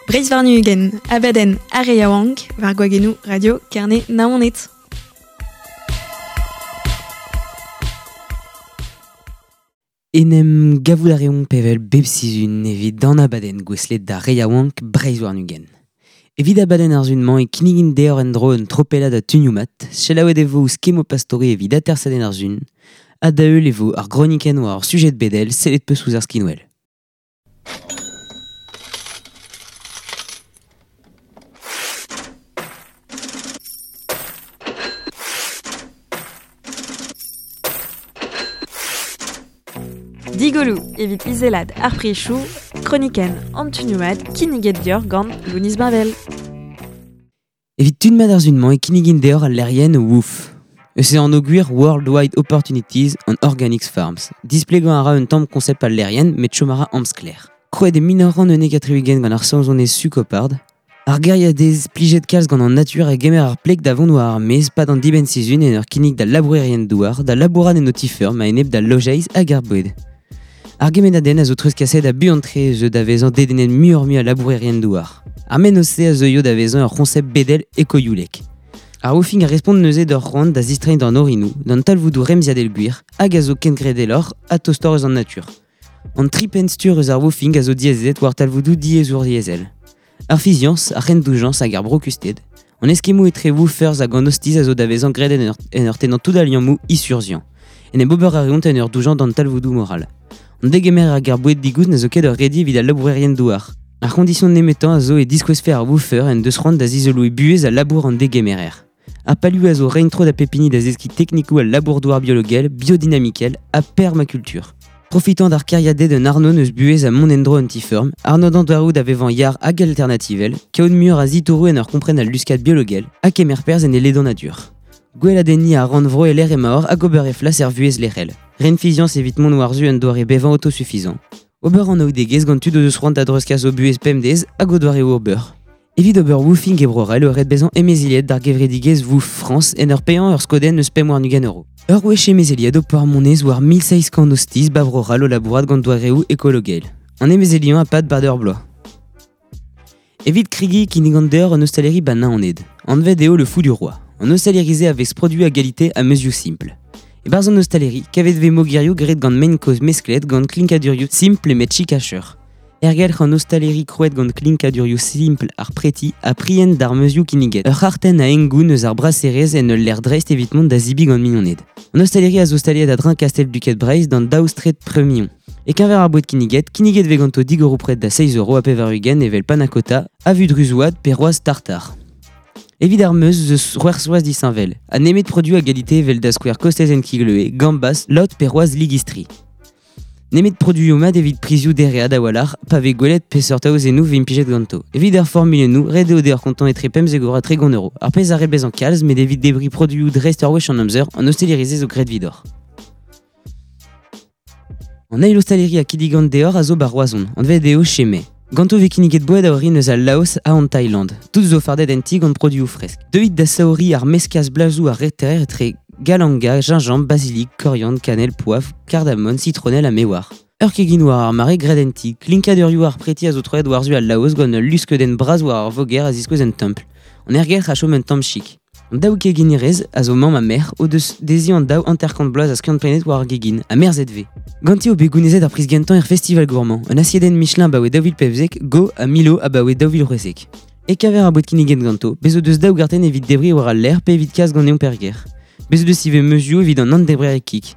Breizh warn-ugent, abadenn ar re yaouank, war gwagennoù Radio Kerne Naoned. En em gavout a reomp evel bep sizhun evit an abadenn gouestlet d'ar re yaouank Breizh warn-ugent. Evit abadenn ar sizhun-mañ e kinnigin deoc'h en-dro un tropellad a tunioù mat, selaouet e vo ouzh Kemo Pastore evit atersadenn ar sizhun, ha da heul e vo ar gronikenn war ur sujed bedel sellet peus ouzh ar skinwel. Digoloù evit izelat ar prizioù, kronikenn an tunioù-mat kinniget deoc'h gant Lounis Bavel. Evit tud mat ar sizhun-mañ e kinnigin deoc'h al lec'hienn Woof. Eus e anv gwir Worldwide Opportunities on Organic Farms. Displegañ a ra un tamm konsept al lec'hienn met chom a ra amsklaer. Krouet e 1971 gant ar saozonez Sue Coppard, Ar gêriadez plijet kalz gant an natur a gemer ar pleg da vont war ar maez 'pad an dibenn-sizhun en ur kinnig d'al labourerien-douar da labourat en o ti-feurm a-enep d'al lojeiz hag ar boued. Ar gemennadenn a zo treuzkaset ha buan-tre zeu da vezañ dedennet muioc'h-mui a labourerien-douar. Ar mennozh-se a zeuio da vezañ ur c'hoñsept bedel ekoyoulek. Ar woofing a respont neuze d'ur c'hoant da zistreiñ d'an orinoù, d'an talvoudoù remziadel gwir, hag a zo kengredeloc'h ha tostoc'h eus an natur. An tri penn-stur eus ar woofing a zo diazezet war talvoudoù diaezouriezhel. Ar fiziañs, ar c'hendoujañs hag ar brokusted, an eskemmoù etre woofers hag an ostiz a zo da vezañ graet en ur, en ur tennañ tout al liammoù isurzhiañ. En em ober a reont en ur doujañ d'an talvoudoù moral. An degemer hag ar boued digoust ne zo ket ur redi evit al labourerien-douar. Ar c'hoñdision nemetañ a zo e diskouezfe ar woofer en deus c'hoant da zizoloiñ buhez ha labour an degemerer. Ar palioù a zo reiñ tro da pep hini da zeskiñ teknikoù al labour-douar biologel, biodinamikel ha permakultur. Profitañ d'ar kêriaded un arnod eus buhez ha mont en-dro un ti-feurm, arnodañ doareoù da vevañ yar hag alternativel, kaout muioc'h a zitouroù en ur kompren al luskad biologel ha kemer perzh en e ledanadur. Gweladenniñ ar rannvro e-lec'h emaoc'h hag ober he flas er vuhez lec'hel. Ren fiziañs evit mont war-zu un doare bevañ autosuffisant. Ober anaoudegezh gant tud o deus c'hoant da dreuzkas o buhez pemdez hag o doareoù ober. Evit ober woofing e Bro-C'hall eo ret bezañ emezeliet d'ar gevredigezh Woof Frañs en ur paeañ ur skodenn eus 25 euro. Ur wech emezeliet ho po monez war 1700 ostiz ba Bro-C'hall o labourat gant doareoù ekologel. An emezeliañ a pad 'pad ur bloaz. Evit kregiñ e kinnigan deoc'h un ostaleri ba Naoned. Anvet eo le Fou du Roi. An ostaleri-se a vez produit a galite ha meuzioù simpl. E-barzh an ostaleri, kavet 'vez mogerioù graet gant mein kozh mesklet gant klinkadurioù simpl met chikacheur. Ergelc'h an ostaleri krouet gant klinkadurioù simpl ar preti ha prient d'ar meuzioù kinniget. Ur c'hartenn a hengoun eus ar braserezh en ul lec'h dreist evit mont da zebriñ gant mignoned. An ostaleri a zo staliet a-dreñv kastell Duked Breizh d'an daou straed Premion. E-keñver ar boued kinniget, kinniget 'vez ganto digoroù pred da 6 euro ha 80 evel panna cotta, avu druzouad pe c'hoazh tartar. Evit ar meuz eus c'hwec'h soaz disheñvel, ha nemet produoù a galite evel da skouer kostezenn kigleue, gambas, lot pe c'hoazh ligistri. Nemet produioù mat evit prizioù dereat a-walc'h pa vez gwelet peseurt aozennoù 'vez implijet ganto. Evit ar formulennoù, ret eo deoc'h kontañ etre 15 euro ha 30 euro. Ar pezh a ret bezañ kalz, met evit debriñ produioù dreist ur wech an amzer, an ostaleri-se zo graet evidoc'h. An eil ostaleri a kinnigan deoc'h a zo 'ba Roazhon, anvet eo Chez Mai. Ganto 'vez kinniget boued a orin eus al Laos ha an Thaïland. Tout zo fardet en ti gant produioù fresk. Deuit da saouriñ ar meskaj blazoù ar reter etre galanga, gingembre, basilic, koriandr, kanell, poavr, kardamom, sitronell ha me oar. Ur kegin war ar mare graet en ti, klinkadurioù ar preti a zo troet war-zu al Laos gant ul luskeudenn bras war ar voger a ziskouez un templ. An aergelc'h a chom un tamm chik. An daou keginerez a zo mamm ha merc'h o deus dezhi an daou 50 bloaz a skiant-prenet war ar gegin, ha merzet 'vez. Ganti eo bet gounezet ar priz gentañ er festival gourmand, un asiedenn Michelin abaoe 2015, Go ha Milo abaoe 2016. E-keñver ar boued kinniget ganto, bez' o deus daou gartenn evit debriñ war al lec'h pe evit kas ganeomp er gêr. Bez' o deus ivez meuzioù evit an nann-debrer kig.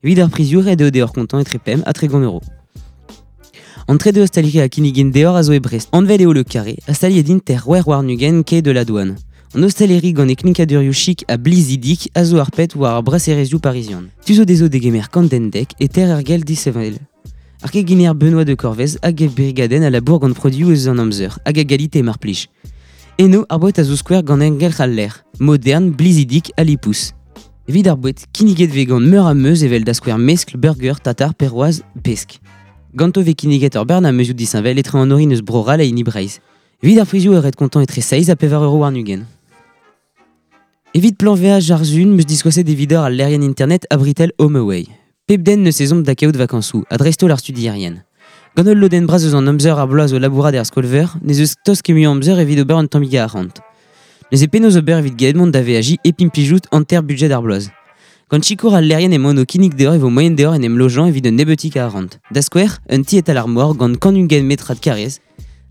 Evit ar prizioù, ret eo deoc'h kontañ etre 5 ha 30 euro. An trede ostaleri a kinnigin deoc'h a zo e Brest. Anvet eo Le Carré, ha staliet int er 26 quai de la Douane. An ostaleri gant e klinkadurioù chik ha blizidik a zo ar pet war ar braserezioù parizian. Tu zo dezho degemer kant den dek e ter er gell disheñvel. Ar keginer Benoît de Corvez hag e brigadenn a labour gant produioù eus an amzer hag a galite mar plij. Eno, ar boued a zo skouer gant engelc'h al lec'h, modern, blizidik ha lipous. Evit ar boued, kinniget 'vez gant meur a meuz evel da skouer meskl, burger, tatar, perroaz, pesk. Ganto 'vez kinniget ur bern a meuzioù disheñvel etre an orin eus Bro-C'hall ha hini Breizh. Evit ar prizioù eo ret kontañ etre 7 ha 4 euro warn-ugent. Evit plañveaj ar Sun 'm eus diskouezet evidoc'h al lec'hienn internet Abritel HomeAway. Pep den 'neus ezhomm da kaout vakañsoù, ha dreist-holl ar studierien. Gant ul lodenn bras eus an amzer ar bloaz o labourat er skol-veur, n'ez eus tost ket mui amzer evit ober un tammig a arc'hant. Neuze penaos ober evit gellet mont da veajiñ hep implijout hanter budjed ar bloaz. Gant sikour al lec'hienn emaon o kinnig deoc'h e vo moaien deoc'h en em lojañ evit un nebeutig a arc'hant. Da skouer, un ti e-tal ar mor gant 120 metrad karrez.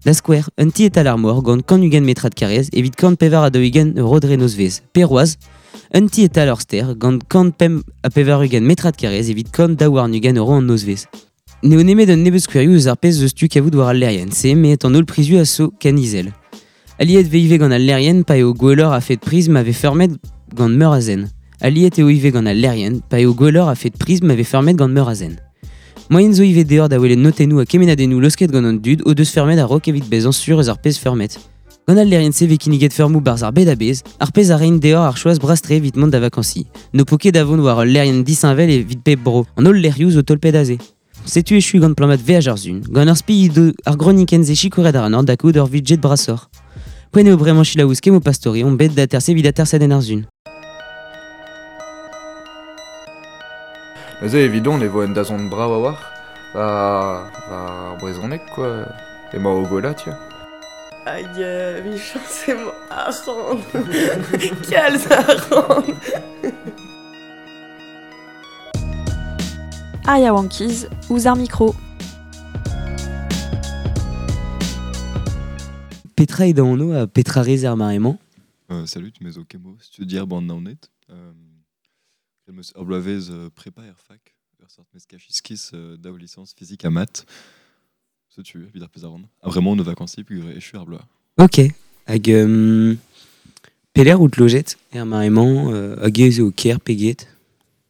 Da skouer, un ti e-tal ar mor gant 120 metrad karrez evit 144 euro dre nozvezh. Pe c'hoazh, un ti e-tal ur stêr gant 185 metrad karrez evit 122 euro an nozvezh. N'eo nemet un nebeud skouerioù eus ar pezh eus tu kavout war al lec'hienn-se, met an holl prizioù a zo ken izel. Aliet vez ivez gant al lec'hienn pa eo gwelloc'h a-fet priz ma vez feurmet gant meur a zen. Aliet eo ivez gant al lec'hienn pa eo gwelloc'h a-fet priz ma vez feurmet gant meur a zen. Moaien zo ivez deoc'h da welet notennoù ha kemennadennoù laosket gant an dud o deus feurmet a-raok evit bezañ sur eus ar pezh feurmet. Gant al lec'hienn-se vez kinniget feurmoù 'barzh ar bed a-bezh, ar pezh a reint deoc'h ar choaz bras-tre evit mont da vakañsiñ. N'ho po ket da vont war ul lec'hienn disheñvel evit pep bro, an holl lec'hioù zo tolpet aze. Setu echu gant plammat veaj ar Sun, gant ur spi he do ar gronikenn-se sikouret ac'hanoc'h da kaout ur vudjed brasoc'h. Poent eo bremañ selaou ouzh kemmoù Pastori omp bet d'aterse evit atersadenn ar Sun. Neuze evidon e vo un dazont brav a-walc'h war ar brezhoneg quoi. Emañ o gwellañ tiens. Hag emichañs emañ arc'hant. Kalz arc'hant. Ar yaouankiz ouzh ar mikro. Petra eo da anv ha petra rez er mare-mañ? Salut, me zo Kemo, studier 'ba an Naoned. Graet 'm eus ur bloavezh prepa er fac, ur seurt meskaj iskis daou lisañs fizik ha math. Setu evit ar pezh a ran. Ha bremañ on o vakañsiñ peogwir echu ar bloaz. Ok. Hag pelec'h out lojet er mare-mañ hag ez eo ker pe get?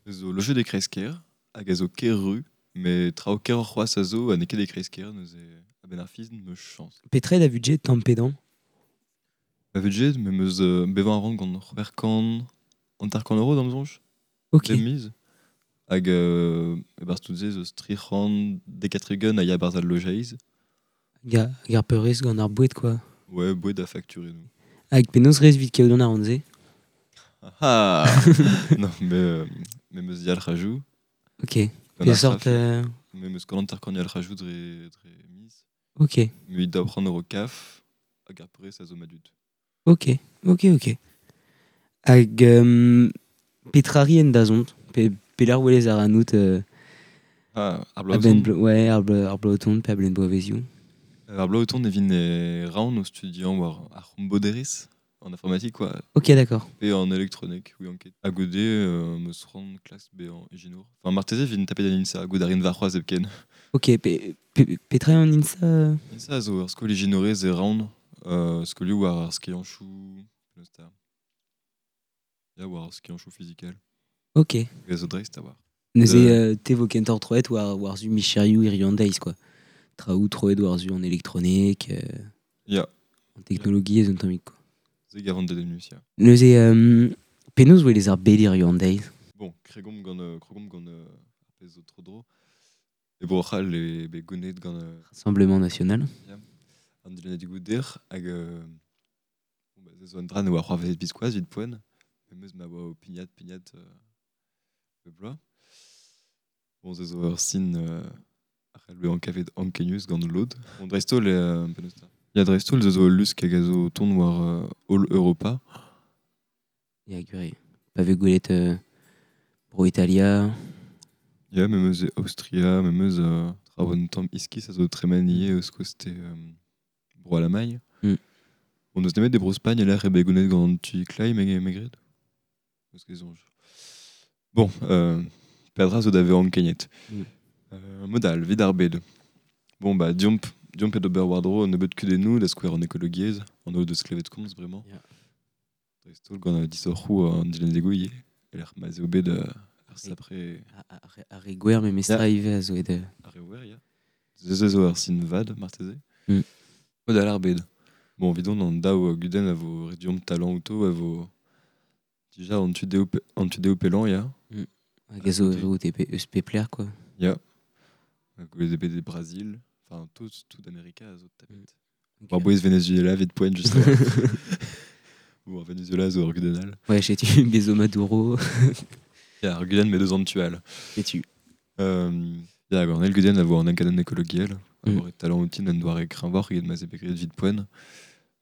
Me zo lojet e kreiz-kêr hag a zo ker-ru, met traoù keroc'h c'hoazh a zo ha n'eo ket e kreiz-kêr neuze a-benn ar fin 'm eus chañs. Petra eo da vudjed tamm pe damm? Ma vudjed, me 'm eus bevañ a ran gant 650 euros d'am soñj. Ok. Bep miz. Hag e-barzh tout se ez eus 370 a ya e-barzh al lojeiz. Hag ar peurrest gant ar boued quoi. Ouais, boued ha fakturennoù. Hag penaos rez evit kaout an arc'hant-se? Ah Non, mais me 'm eus yalc'hajoù. Ok. Gant ar Peseurt... c'haf. Me 'm eus gant hanter-kant yalc'hajoù dre miz. Ok. Mui 200 euro kaf hag ar peurrest a zo ma dud. Ok. Hag petra 'ri en dazont? Pe pelec'h 'welez ac'hanout Ah, ar bloaz a-benn o tont? ouais, ar bloaz o tont pe a-benn bloavezioù? Ar bloaz o tont e vin e Rouen o studiañ war ar c'homboderezh en informatique quoi. Ok, d'accord. Pe en elektronek, ouian ket. Ha goude 'm eus c'hoant klask bezañ ijinour. Enfin marteze e vin tapet en INSA, goût a rin warc'hoazh hepken. Ok, petra eo an INSA? INSA a zo ur skol ijinourez e Rouen, skolioù war ar skianchoù, penaos 'ta? Ya, war ar skianchoù fizikel. Ok. Hag a zo dreist a-walc'h. Neuze te 'vo kentoc'h troet war-zu micherioù hiziv an deiz quoi. Traoù troet war-zu an elektronek, Ya. an teknologiezh un tammig quoi. Se 'gavan dedennus, ya. Neuze penaos 'welez ar bed hiziv an deiz? Bon, kregomp gant, krogomp gant ar pezh zo tro-dro. E Bro-C'hall eo bet gouneet gant Rassemblement National. Ya. An dilennadegoù dec'h hag bon, bah, se zo un dra ne oa c'hoarvezet biskoazh evit poent. Memes ma oa o pignat, pignat bep bloaz. Bon, se zo ur sin a c'hall bezañ kavet ankenius gant lod. Bon, dreist-holl, penaos 'ta? Ya, dreist-holl, se zo ul lusk hag a zo o tont war holl Europa. Ya, gwir eo. Pa vez gwelet Bro-Italia. Ya, memes e Aostria, memes traoù un tamm iskis a zo tremen ivez eus koste Bro-Alamagn. On n'eus nemet e Bro-Spagn e-lec'h eo bet goulennet gant an tu kleiz, me gred. Eus ket soñj. Bon, peadra zo da vezañ ankeniet. Mod all, evit ar bed. Bon, bah, deomp, deomp d'ober war-dro un nebeud kudennoù, da skouer an ekologiezh, an holl deus klevet komz bremañ. Dreist-holl gant disoc'hoù an dilennadegoù ivez, e-lec'h ma'z eo bet ar sapre... Ar re gwer memestra ivez a zo bet... Ar re wer, ya. Se zo ur sin vat, marteze. Mod all ar bed. Bon, evidon, an daou gudenn a vo ret deomp talañ outo, a vo dija an tu dehou pellañ, ya. Hag a zo eus pep lec'h, quoi. Ya. Gouez eo bet e Brazil, enfin, tout Amerika a zo tapet. War-bouez Venezuela, evit poent, just Bon, Venezuela zo ur gudenn all. Ouais, setu bezo Maduro. Ya, ur gudenn met eus an tu all. Setu. Ya, gant el gudenn a vo an enkadenn ekologiel, a vo talent outin en doare kreñvoc'h eget ma 'z eo bet graet evit poent.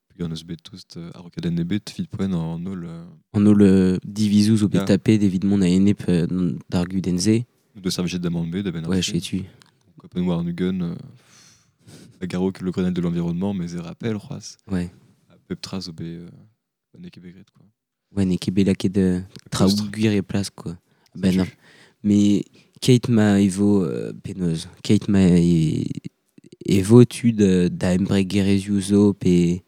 Peogwir n'eus bet tost a-raokadenn ebet evit poent an holl... An holl divizoù zo bet tapet evit mont a-enep d'ar gudenn-se. N'o deus servijet da mann ebet a-benn ar Ouais, setu. Kapen war an-ugent, a garo le Grenelle de l'environnement, mais e rappel c'hoazh. Ouais. A pep tra zo bet... n'eo ket bet graet, quoi. Ouais, n'eo ket bet lakaet traoù gwir e plas, quoi. Ben, non. Mais keit ma e vo penaos, keit ma e vo tud da embregerezhioù zo pe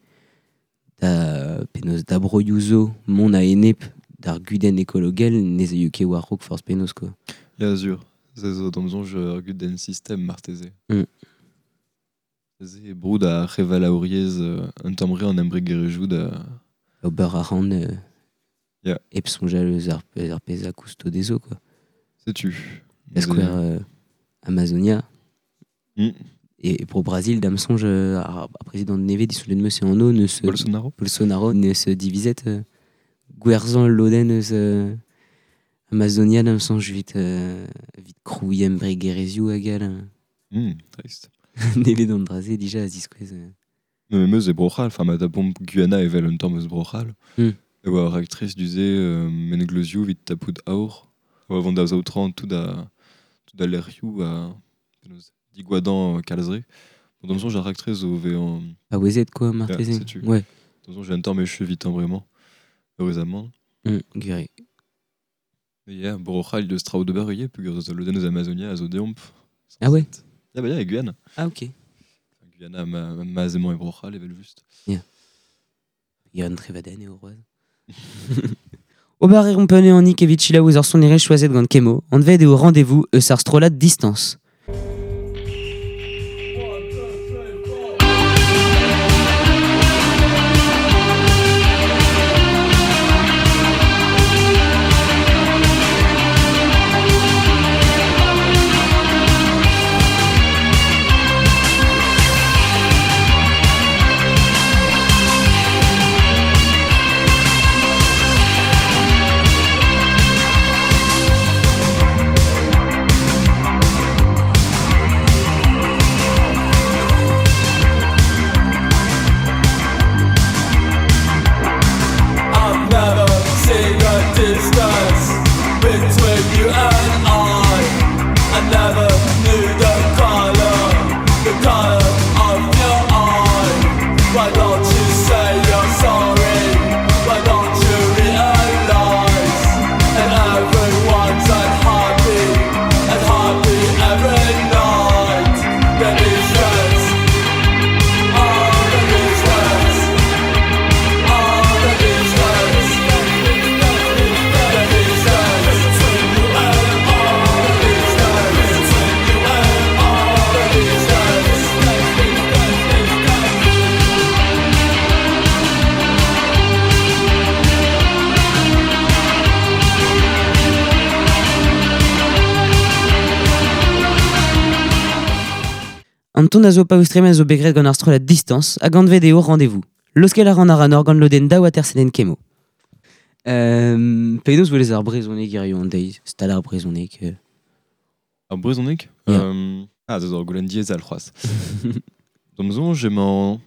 da penaos da broioù zo mont a-enep d'ar gudenn ekologel ne zeio ket war-raok forzh penaos, quoi. Ya, sur. Se zo d'am soñj ur gudenn sistem marteze. Se broud ar c'hevalaouriezh un tamm re an embregerezhioù da... Ober a ran yeah. Hep soñjal eus ar pezh a kousto dezho, quoi. Setu. Da skouer Amazonia. Et pour Brasil, da'm soñj ar prezidant nevez disoulenn meus e anv neus Bolsonaro. Bolsonaro neus divizet gwerzhañ lodenn eus Amazonia da'm soñj evit krouiñ embregerezhioù hag all. Trist. Nevez d'an dra-se dija a ziskouez. Mais meus e Bro-C'hall, enfin ma tapomp Guyana evel un tamm eus Bro-C'hall. E oa ur raktres du-se mengleuzioù evit tapout aour. Oa vont da saotrañ tout a lec'hioù a digwadañ kalzre. Bon, d'am soñj ar raktres zo vezañ... Paouezet quoi, marteze. Yeah, setu. Ouais. D'am soñj un tamm echu evitañ vraiment, heureusement. Gwir. Yeah, Bro-C'hall deus traoù d'ober ivez, peogwir eus lodenn eus Amazonia a zo deomp. Ah ouais? Ah bah ya, e Guyane. Ah ok. Guyana ma emañ e Bro-C'hall evel just. Yeah. Yann Trevaden eo roaz. Ober e rompene an nik evit selaou eus ar sonerezh choazet gant Kemo, anvet eo rendez-vous eus ar strollad Distance. Anton a zo paoustrem a zo bet graet gant ar strollad Distance hag anvet eo Rendez-vous. Laoskel a ran ar anor gant lodenn daou atersadenn Kemo. Penaos welez ar brezhoneg hiziv an deiz, stal ar brezhoneg. Ar brezhoneg? Yeah. Ah, zo ur goulenn diaes all c'hoazh. D'am soñj emañ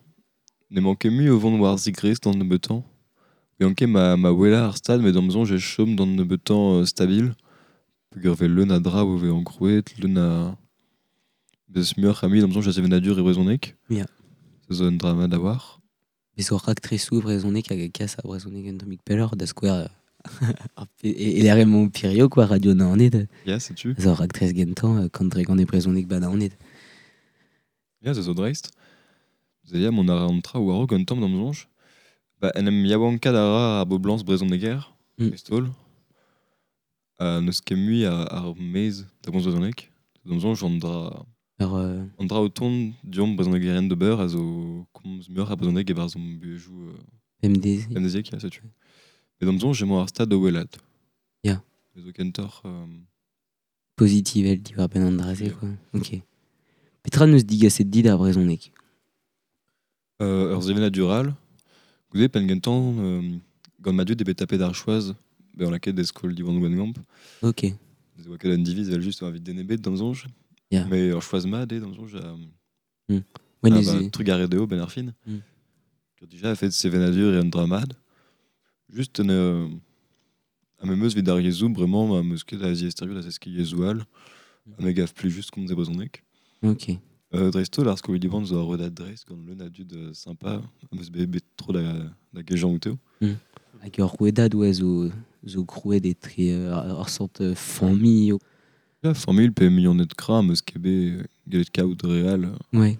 n'emañ ket mui o vont war zigresk d'an nebeutañ. Gant ket ma wellañ ar stad, met d'am soñj e chom d'an nebeutañ stabil. Peogwir vez leun a dra o vezañ krouet, leun a... Beus muioc'h a mui d'am soñj a sevenadur e brezhoneg. Yeah. Se zo un drama da war. Bez ur raktresoù brezhoneg hag a kas ar brezhoneg un tammig pelloc'h da skouer e lec'h emañ Pirio, quoi, Radio Naoned. Ya, setu. Zo ur raktres gentañ kant dregont e brezhoneg ba Naoned. Ya, se zo dreist. Se ya, mont a ra an traoù war-raok un tamm d'am soñj. Ba, en em yaouankaat a ra ar boblañs brezhoneger, dreist-holl. N'eus ket mui ar maez da gomz brezhoneg. D'am soñj an dra... An dra o tont deomp brezhonegerien d'ober a zo komz muioc'h a brezhoneg e-barzh hon buhezioù MDZ. MDZ, ya, setu. Met d'am soñj emañ ar stad o wellaat. Ya. Me zo kentoc'h... Pozitivel diwar-benn an dra-se, quoi. Ok. Petra n'eus digaset dit ar brezhoneg? Ur sevenadur all. Goude, penn gentañ, gant ma dud eo bet tapet ar choaz, bezañ lakaet da skol Diwan Gwengamp. Ok. Ez oa ket un diviz evel just evit den ebet d'am soñj. Ya. Mais ur choaz mat eo, d'am soñj, Ouais, ah, neuze. ba, trugarez dezho ben ar fin. Dija, a fet sevenadur e un dra mat. Just un a me meus vid ar yezhoù bremañ ma meus ket a ziaesterioù da zeskiñ yezhoù all. Ha me gav plus just komz e brezhoneg. Ok. Dreist-holl ar skol Diwan zo ar redad dreist gant leun a dud sympa am eus bet bet tro da gejañ outeo. Hag ur rouedad ouais, zo krouet etre ur sort familh. Ya, familh pe mignoned kra am eus ket bet gellet kaout real Ouais.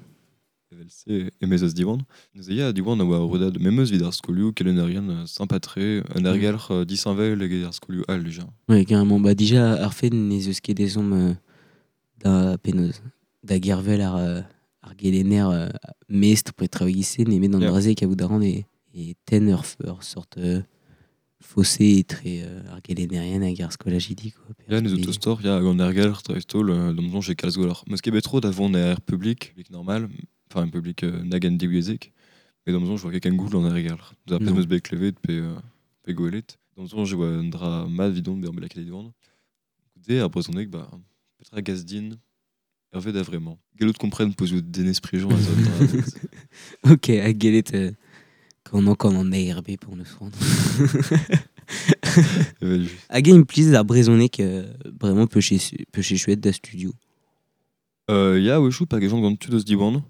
evel se emez eus Diwan. Neuze ya, Diwan a oa ur redad memeus vid ar skolioù kelennerien sympa-tre, un aergelc'h disheñvel eget ar skolioù all dija. Ouais, carrément. Bah, dija, ar fet n'ez eus ket ezhomm da penaos, da gervel ar gelenner mestr pre traoù-se, nemet an dra-se kaout a ran e tenn ur sort fossé etre ar gelennerien hag ar skolajidi, quoi. Ya, neus autostor, ya, hag an aergelc'h dreist-holl, d'am soñj e kalz gwelloc'h. Meus ket bet tro da vont er public, public normal, enfin un public nag en divyezhek, met d'am soñj oa ket ken goul an aergelc'h. Da pezh meus bet klevet pe gwelet. D'am soñj e oa un dra mat vidon bezañ bet lakaet e Diwan. Goude, ar brezhoneg, ba, petra gas din hervez da vremañ. Gellout kompren pozioù Denez Prigent a zo un dra. Ok, hag gellet gant an ARB pour neus c'hoant. Evel just. Hag eo implijet ar brezhoneg bremañ peuche chouette da studio. Ya, wechoù, pa gejont gant tud eus Diwan.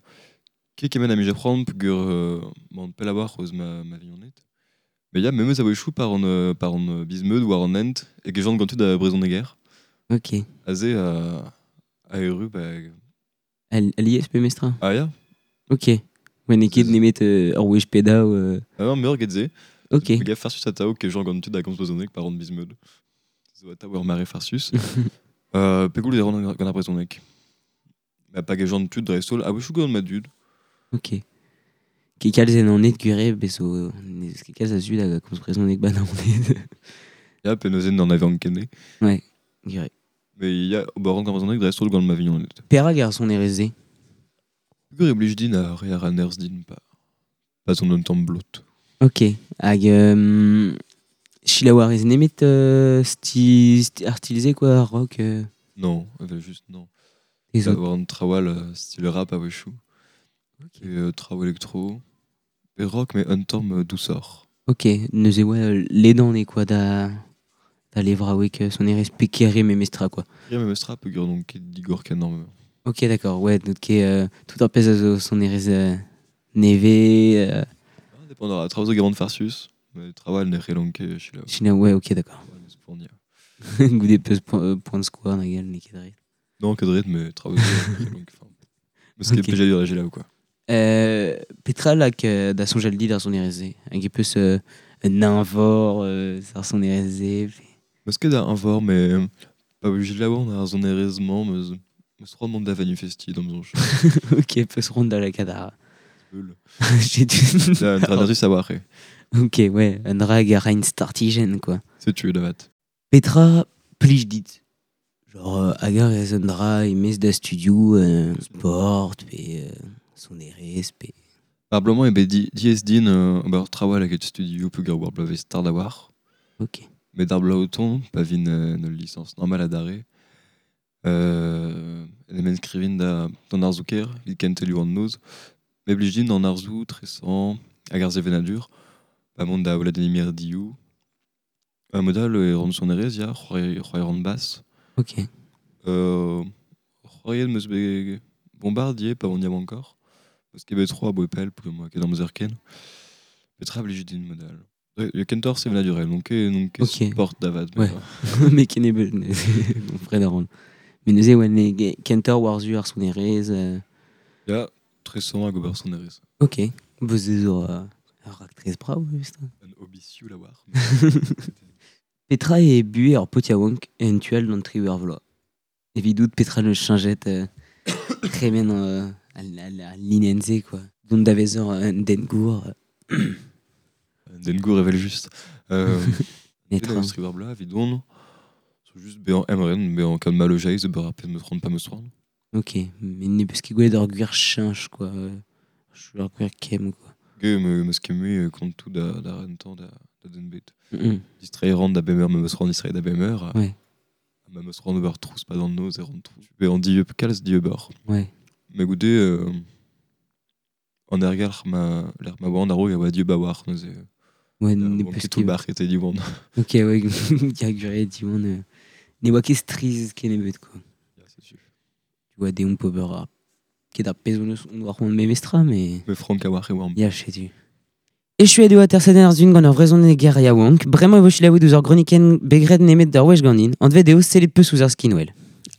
Ket kement a mije c'hoant peogwir m'an pell a-walc'h eus ma vignoned. Mais ya, memes a-wechoù par an bizmeud war an hent e gejont gant tud a brezhoneger. Ok. Aze a erru, ba... Alies pe mestra? Ah ya. Ok. Ouais, n'eo ket nemet ur wech pedaou. Ah non, meur get se. Ok. Me gav farsus atao ke jant gant tud a gomz brezhoneg par an bizmeud. Zo atao ur mare farsus. Pegoul e ran gant ar brezhoneg. Ma pa gejont tud dreist-holl, a-wechoù gant ma dud. Ok. Ket kalz en an et gure, bezo, n'eus ket kalz a zud hag a komz brezhoneg ba Naoned. Ya, pe neuze n'en avait ankene. Ouais, gure. Mais ya, ober ran gant brezhoneg dreist-holl gant ma vignoned. Perak ar sonerezh-se? Peogwir e blij din ar re ar nerzh din pa zon un tamm blot. Ok, hag selaou a rez nemet ar style-se, quoi, rock. Non, evel just non. Les autres. Avoir un trawal style rap a-wechoù. Ok. Et traoù électro. Et rock, mais un tamm douceur. Ok, neuze oa ledan eo, quoi, da levraoueg sonerezh pekere memestra, quoi. Kere memestra, peogwir n'on ket digor ken énorme. Ok, d'accord, ouais, donc tout ar pezh a zo sonerezh neve. Ah, dépend a traoù zo gant farsus, mais trawal ne c'hellont ket selaou. Selaou, ouais, ok, d'accord. Ouais, neus poaniañ. Goude peus point de square, nag n'eo ket dre. Non, ket dre, mais traoù zo ne c'hellont ket, enfin, meus ket Ok. plijadur da selaou, quoi. Petra lak da soñjal dit ar sonerezh-se? Hag e peus un invor ar sonerezh-se, pe Meus ket da invor, mais pa blij labour ar sonerezh-mañ, meus c'hoant mont da manifesti d'am soñj. Ok, peus ront da lakaat ar Beul. J'ai du Da, un dra da savoir, e. Ok, ouais, un dra hag a raint startijenn, quoi. Setu, da vat. Petra plij dit? Genre, hag ar ez un dra e-maez da studio, sport, pe sonerezh, pe... Ar bloaz-mañ eo bet diaes din ober trawal hag et studio peogwir war bloavezh start a-walc'h. Ok. Met ar bloaz o tont, pa vin en ul lisañs normal adarre, en em inskrivin d'an arzoù-kaer, evit kentelioù an noz. Me blij din an arzoù, tresañ, hag ar sevenadur, pa mont da Vladimir Diou. Un modal e ran sonerezh, ya, c'hoari ran bas. Ok. C'hoariet meus bet bombardier, pa on y a encore. Parce qu'il y avait trois bois pelle, pour moi, qui est dans mes ken. Petra blij din modal. Ouais, le kentor sevenadur, donc, donc, Ok. sport d'avad, Ouais. mais, Mais ken eo bet, mon frère d'Aron. Mais neuze, ouais, ne, kentor war zu ar sonerezh. Ya, tresañ hag ober sonerezh. Ok. Boz zo ur raktres brav, just. Un hobby sioul a war. Petra e buhe ar potiaouank en tual d'an tri ur vloaz. Evidout petra ne chañjet tremen al linenn-se, quoi. Dont da vezañ un den gour. Un den gour evel just. Netra. An tri ur bloaz, evidon, zo just bezañ emren, bezañ kalz malojeiz, ober ar pezh meus c'hoant pa meus c'hoant. Ok, mais ne peus ket gwelet ur gwir cheñch, quoi. Ur gwir kemm, quoi. Ge, me, meus ket mui kont tout da rentañ da den bet. Distreiñ ran da bemeur, me meus c'hoant distreiñ da bemeur. Ouais. Ma meus c'hoant ober trouz pad an noz e ran trouz. Pe an dieub kalz dieuber. Ouais. Mais goude, an ergelc'h ma, l'er ma oan a-raok a oa dieub a-walc'h neuze. Ouais, ne peus ket bar ket diwan. Ok, ouais, ya gure diwan. Ne oa ket striz kennebeut, quoi. Ya, setu. Tu vois, deomp ober ar ket ar pezh on eus on oa c'hoant memestra, mais... Me frank a-walc'h e oamp. Ya, setu. Echuet eo atersadenn ar zun gant ur vrezhoneger yaouank, bremañ e vo selaouet ouzh ur gronikenn begred nemet d'ur wech ganin, anvet eo sellet peus ouzh ar skinwel.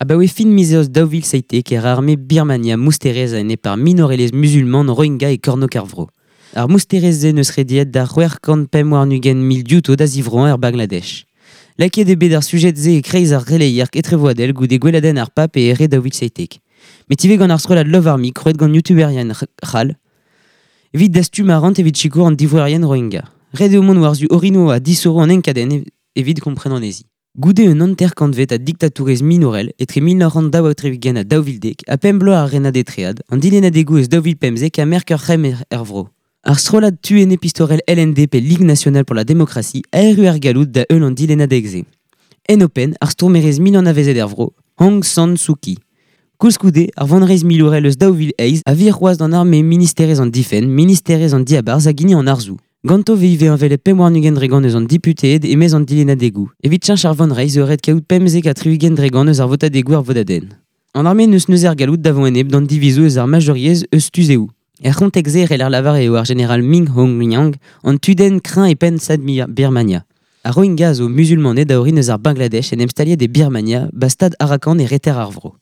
Abaoe fin miz eost 2017 e ra arme Birmania mousterezh a-enep ar minorelezh musulman Rohingya e kornôg ar vro. Ar mousterezh-se n'eus rediet da 625 diouto da zivroañ er Bangladesh. Lakaet eo bet ar sujed-se e-kreiz ar releier etrevoadel goude gweladenn ar pap e here 2017. Met ivez gant ar strollad Love Army krouet gant youtuberien c'hall, evit dastum arc'hant evit sikour an divroerien Rohingya. Ret eo mont war-zu orinoù ha disoro an enkadenn evit kompren anezhi. Goude un hanter-kantved a diktatourezh minorel etre 1942 ha 2010 ha pemp bloaz ar renad etread, an dilennadegoù eus 2015 a merk ur c'hemm er vro. Ar strollad tu enepistorel LND pe Ligue nationale pour la démocratie a erru ar galloud da heul an dilennadeg-se. En open, ar stourmerez mil anavezet er vro, Aung San Suu Kyi. Koulskoude, ar vonreizh milourel eus 2008 a vir c'hoazh d'an arme ministerezh an difenn, ministerezh an diabarzh hag hini an arzoù. Ganto vez ivez envelet 25 dregant eus an deputeed e-maez an dilennadegoù. Evit cheñch ar vonreizh eo ret kaout 75 dregant eus ar votadegoù ar vodadenn. An arme n'eus neuze ar galloud da vont enep d'an divizoù eus ar majeuriezh eus tuzeoù. Er c'hontek-se e c'heller lavar eo ar jeneral Min Aung Hlaing an tudenn kreñv e penn stad Birmania. Ar Rohingya zo musulmaned a orin eus ar Bangladesh en em staliet e Birmania, ba stad Arakan e reter ar vro.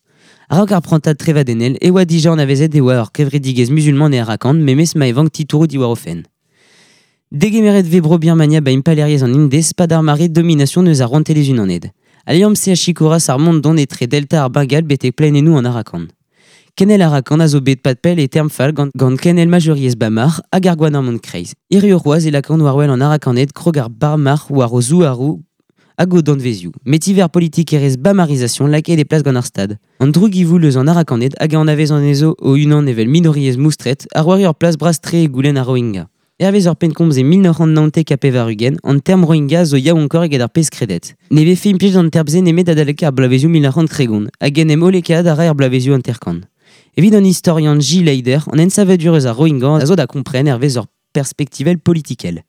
A-raok ar prantad trevadennel e oa dija anavezet e oa ur kevredigezh musulman e Arakan memes ma e vank titouroù diwar o fenn. Degemeret vez bro Birmania ba impalaeriezh an Indez pad ar mare domination eus ar rouantelezh unaned. Al liamm-se a sikouras ar mont dont etre delta ar Bengal betek plaenennoù an Arakan. Kenel Arakan a zo bet pad pell e term fall gant kenel majeuriezh Bamar hag ar gouarnamant kreiz. Hiriv c'hoazh e lakaont war-wel an Arakaned krog ar Barmar war o zouaroù hag o danvezioù. Met ivez ar politikerezh bamarisation lakaet e plas gant ar stad. An droug-ivoul eus an Arakaned hag a anavez anezho o-unan evel minoriezh moustret a roari ur plas bras-tre e goulenn ar Rohingya. Hervez ur pennkomz e 1999, an term Rohingya zo yaouankoc'h eget ar pezh kredet. Ne vefe implijet an term-se nemet adalek ar bloavezioù 1930, hag en em hollekaat a ra er bloavezioù hanter-kant. Evit an istorian J. Leider, an ensavadur eus ar Rohingya a zo da kompren hervez ur perspektivel politikel.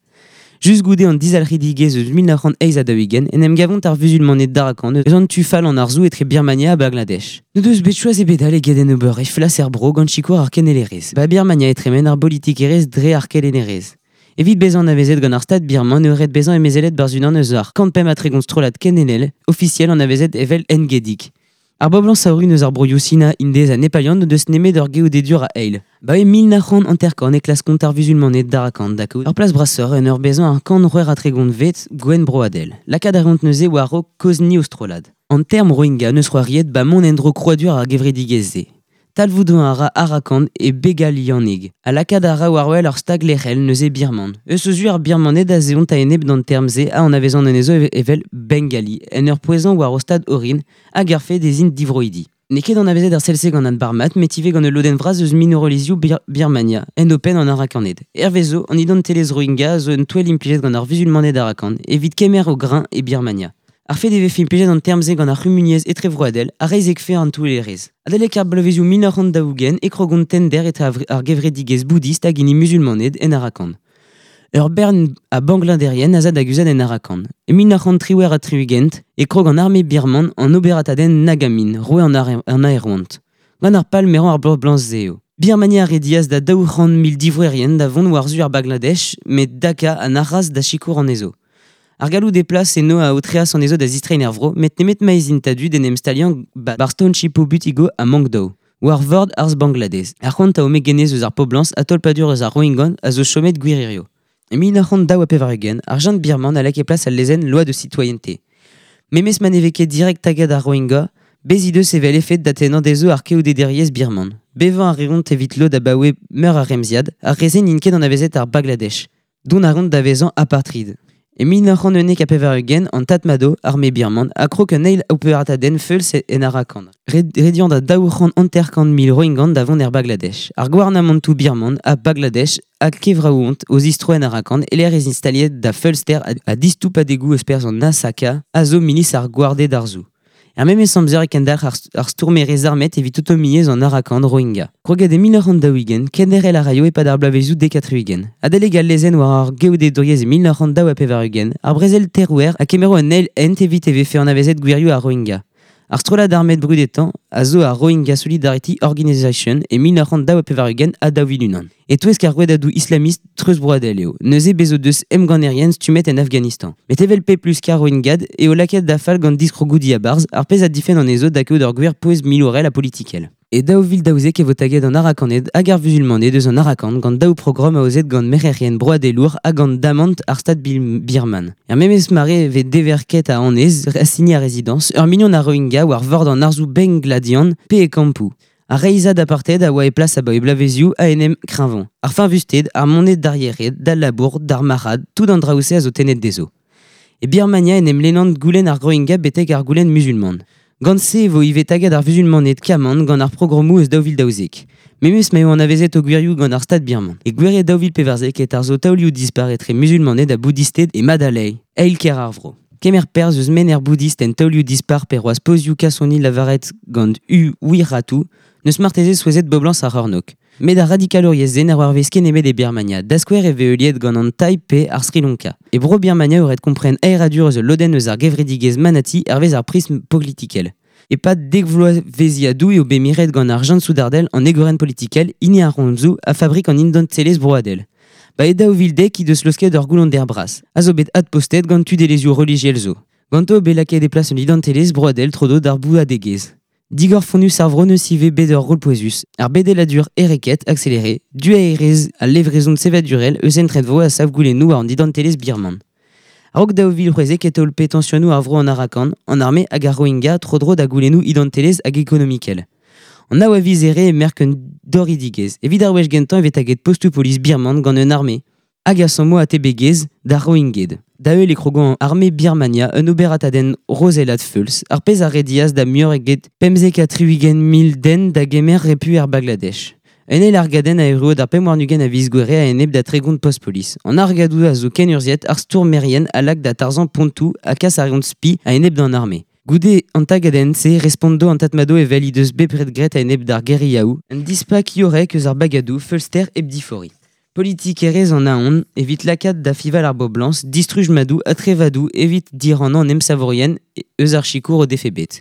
Just goude an dizalc'hidigezh eus 1948 en em gavont ar vuzulmaned d'Arakan eus an tu fall an arzoù etre Birmania ha Bangladesh. N'o deus bet choaz ebet all eget en ober e flas er bro gant sikour ar kenelerezh. Ba Birmania e tremen ar bolitikerezh dre ar kelennerezh. Evit bezañ anavezet gant ar stad birman eo ret bezañ emezelet barzh unan eus ar 135 strollad kenelel ofisiel anavezet evel engedig. Ar boblañs a orin eus ar broioù Sina, Indez ha Nepalian n'o deus nemet ur geodedur a eil. Ba e 1950 e klaskont ar vuzulmaned d'Arakan da kaout ur plas brasoc'h en ur bezañ ar 138 vet gouenn broadel. Lakaat a reont neuze war-raok kozhni o strollad. An term Rohingya n'eus c'hoariet ba mont en-dro krouadur ar gevredigezh-se. Talvoudoù a ra Arakan e Begalianeg, ha lakaat a ra war-wel ur stag lec'hel neuze birman. Eus o zu ar Birmaned a zeont a-enep d'an term-se a anavezan anezho evel Bengali, en ur pouezañ war o stad orin hag ar fed ez int divroidi. N'eo ket anavezet ar sell-se gant an Barmat, met ivez gant ul lodenn vras eus minorelezhioù Birmania, en o penn an Arakaned. Hervezo, an identelezh Rohingya zo un touell implijet gant ar vuzulmaned Arakan evit kemer o grain e Birmania. Ar fed e vefe implijet an term-se gant ar c'humuniezh etrevroadel a reizhekfe an touellerezh. Adalek ar bloavezioù 1940 e krogont tender etre ar gevredigezh boudist hag hini musulmaned en Arakan. Ur bern a bangladerien a za da guzhat en Arakan. E 1978 e krog an arme birman an oberatadenn Nagamin, roue an aerouant. Gant ar pal merañ ar boblañs-se eo. Birmania a redias da 200 000 divroerien da vont war-zu ar Bangladesh, met Dhaka a nac'has da sikour anezho. Ar galloud e plas eno a aotreas anezho da zistreiñ er vro, met nemet ma ez int a-du d'en em staliañ bar township Butigo ha Maungdaw, war vord arz Bangladez. Ar c'hoant a omegenez eus ar poblañs ha tolpadur eus ar Rohingya a zo chomet gwir hirio. E 1982, ar jeune birman a lak e plas al lezenn loi de citoyenneté. Memes ma ne vez ket direct tagad ar Rohingya, bez he deus evel efed da tennañ dezho ar keodederiezh birman. Bevañ a reont evit lod abaoe meur ar remziad, ar re-se n'int ket anavezet ar Bangladesh, dont a reont da vezañ apartheid. E 1991, an Tatmadaw, arme birman, a krog un eil operatadenn feuls en Arakan. Rediant da 250 000 Rohingyan da vont er Bangladesh. Ar gouarnamantoù birman a Bangladesh a kevraouont o zistro en Arakan e lec'h ez instaliet da feulster a distoupadegoù eus perzh an Nasaka a zo milis ar gwarded arzoù. Er memes amzer e kendalc'h ar stourmerez armet evit autonomiezh an Arakan Rohingya. Kroget e 1940, kenderc'hel a raio e-pad ar bloavezioù 90. Adalek al lezenn war ar geodedouriezh e 1982, ar brezel terouer a kemero un eil hent evit e vefe anavezet gwirioù ar Rohingya. Ar strollad armet brudetañ a zo ar Rohingya Solidarity Organization e 1982 ha 2001. E-touesk ar rouedadoù islamist treuzbroadel eo, neuze bez o deus emgannerien stummet en Afghanistan. Met evel pep lusk ar Rohingyad eo lakaet da fall gant diskrogoù diabarzh ar pezh a difenn anezho da kaout ur gwir pouez milourel ha politikel. E 2012 e vo taget an Arakaned hag ar vuzulmaned eus an Arakan gant daou programm aozet gant merc'herien broadelour hag gant damant ar stad birman. Er memes mare e vez deverket a annez, assigné a résidence, ur million a Rohingya war vord an arzoù bengladian pe e kampoù. Ar reizad apartheid a oa e plas abaoe bloavezioù a enem kreñvañ. Ar fiñvusted, ar moned d'ar yered, d'al labour, d'ar marc'had, tout an draoù-se a zo tennet dezho. E Birmania en em lennant goulenn ar Rohingya betek ar goulenn musulman. Gant se e vo ivez taget ar vuzulmaned kaman gant ar programmoù eus 2012. Memes ma eo anavezet o gwirioù gant ar stad birman. E gouere 2014 e tarzho taolioù dispar etre musulmaned ha boudisted e Madalay, eil kêr ar vro. Kemer perzh eus menner boudist en taolioù dispar pe roaz pozioù kasoni lavaret gant U Wiratu, neus marteze souezhet boblañs ar c'hornôg. Met ar radikalouriezh zen ar war vez ket nemet e Birmania, da skouer e vez heuliet gant an Thai pe ar Sri Lanka. E bro Birmania eo ret kompren aeradur eus ul lodenn eus ar gevredigezh Manati hervez ar prism politikel. E-pad dek vloavezhiadoù eo bet miret gant ar Jean Soudardel an egorenn politikel hini ar Ronzoù a fabrik an identelezh broadel. Ba e 2010 he deus laosket ur goullonder bras, a zo bet adpostet gant tudelezhioù relijiel zo. Ganto eo bet lakaet e plas un identelezh broadel tro-dro d'ar bouadegezh. Digor fonnus ar vro neus ivez bet ur rol pouezus, ar bedeladur ereket accéléré, duaerezh ha levrezon sevadurel eus entredvo a sav goulennoù war an identelezh birman. A-raok 2016 e taol petensionoù ar vro an Arakan, an arme hag ar Rohingya tro-dro da goulennoù identelezh hag ekonomikel. An nav a viz ere e merk un doridigezh. Evit ar wech gentañ e vez taget postoù polis birman gant un arme hag a sammo atebegezh d'ar Rohingyed. Da heul e krogo an arme Birmania un oberatadenn rozelat feuls, ar pezh a redias da muioc'h eget 75 mil den da gemer repu er Bangladesh. Un eil argadenn a erruo d'ar 25 a viz Gouere a-enep da 30 post-polis. An argadoù a zo kenurzhiet ar stourmerien a lak da tarzhañ pontoù ha kas a reont spi a-enep d'an arme. Goude an tagadenn-se respondo an tatmado evel he deus bepred graet a-enep d'ar guerillaoù, un dispak yorek eus ar bagadoù feulster hep difori. Politikerezh an aon evit lakaat da fival ar boblañs, distruj madoù ha trevadoù evit dirannañ an emsavourien eus ar sikour o defe bet.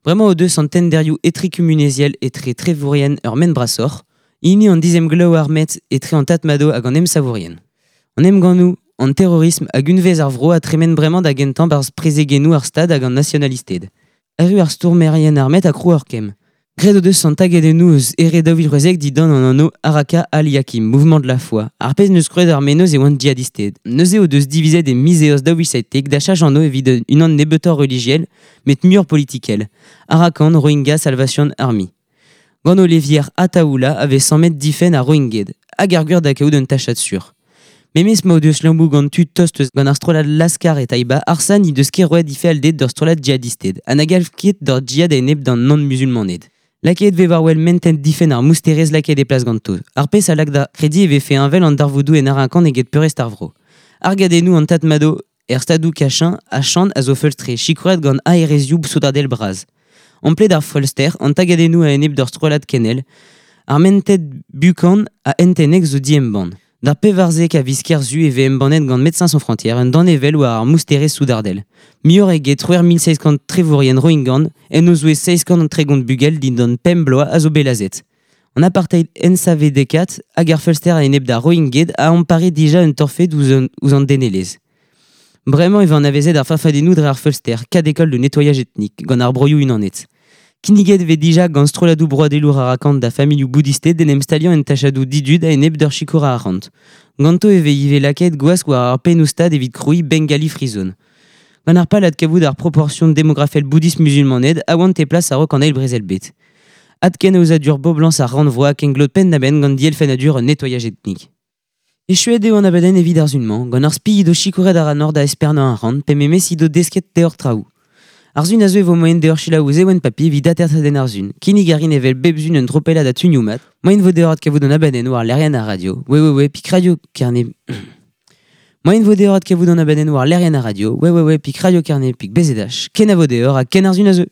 Bremañ o deus an tenderioù etrekumuniezhel etre trevourien ur ment brasoc'h, hini an dizemglev armet etre an tatmado hag an emsavourien. An emgannoù, an terrorism hag unvez ar vro a tremen bremañ da gentañ barzh prezegennoù ar stad hag an nasionalisted. Erru ar stourmerien armet a krou ur kemm. Graet o deus an tagadennoù eus ere 2016 dindan an anv Araka al-Yakim, mouvement de la foi. Ar pezh neus kroet ar mennozh e oant djihadisted. Neuze o deus divizet e miz eost 2017 da chach anv evit unan nebeutoc'h relijiel, met muioc'h politikel. Arakan Rohingya Salvation Army. Gant o levier Ataoula a vez sammet difenn ar Rohingyed, hag ar gwir da kaout un tachad sur. Memes ma o deus lammoù gant tud tost eus gant ar strollad Laskar e Taïba, Arsan he deus ket roet he fealded d'ur strollad djihadisted, ha na galv ket d'ur djihad a-enep d'an nann-musulmaned. Lakaet vez war wel mentent difenn ar mousterezh lakaet e plas ganto. Ar pezh a lak da krediñ e vefe heñvel an darvoudoù en Arakan eget peurrest ar vro. Argadennoù an Tatmado er stadoù Kachin ha Shan a zo feulstre, sikouret gant aerezioù soudardel bras. Ampled ar feulster, an tagadennoù a-enep d'ur strollad kenel, ar mented bukan ha entennek zo diembann. D'ar pevarzek a viz Kerzu e vez embannet gant Médecins Sans Frontières un danevell war ar mousterezh soudardel. Muioc'h eget 3700 trevourien Rohingyan en o zouez 730 bugel dindan pemp bloaz a zo bet lazhet. An apartheid ensavedekat hag ar feulster a-enep d'ar Rohingyed a ampare dija un torfed ouzh an denelezh. Bremañ e vez anavezet ar farfadennoù dre ar feulster, cas d'école de nettoyage ethnique, gant ar broioù unanet. Kinniget vez dija gant strolladoù broadelour Arakan da familhoù boudisted d'en em staliañ en tachadoù didud a-enep d'ur sikour a arc'hant. Ganto e vez ivez lakaet gwask war ar pennoù-stad evit krouiñ Bengali Free Zone. Gant ar pal adkavout ar proportion demografel boudist musulmaned a oant e plas a-raok an eil brezel bet. Adken aozadur boblañs ar rannvro ha kenglot penn-da-benn gant dielfennadur un nettoyage ethnique. Echuet eo an abadenn evit ar sun-mañ, gant ar spi he do sikouret ar an nor da espernañ ar rannvro, pe memes he do desket deoc'h traoù. Ar sun a zo e vo moaien deoc'h selaou ouzh Ewen Papi evit atersadenn ar sun. Kinnig a rin evel bep sun un tropellad a tunioù mat. Moaien vo deoc'h adkavout an abadenn war lec'hienn ar radio. We we we pik radio Kerne. Moaien vo deoc'h adkavout an abadenn war lec'hienn ar radio. We we we pik radio Kerne pik BZH. Ken a vo deoc'h ha ken ar sun a zeu.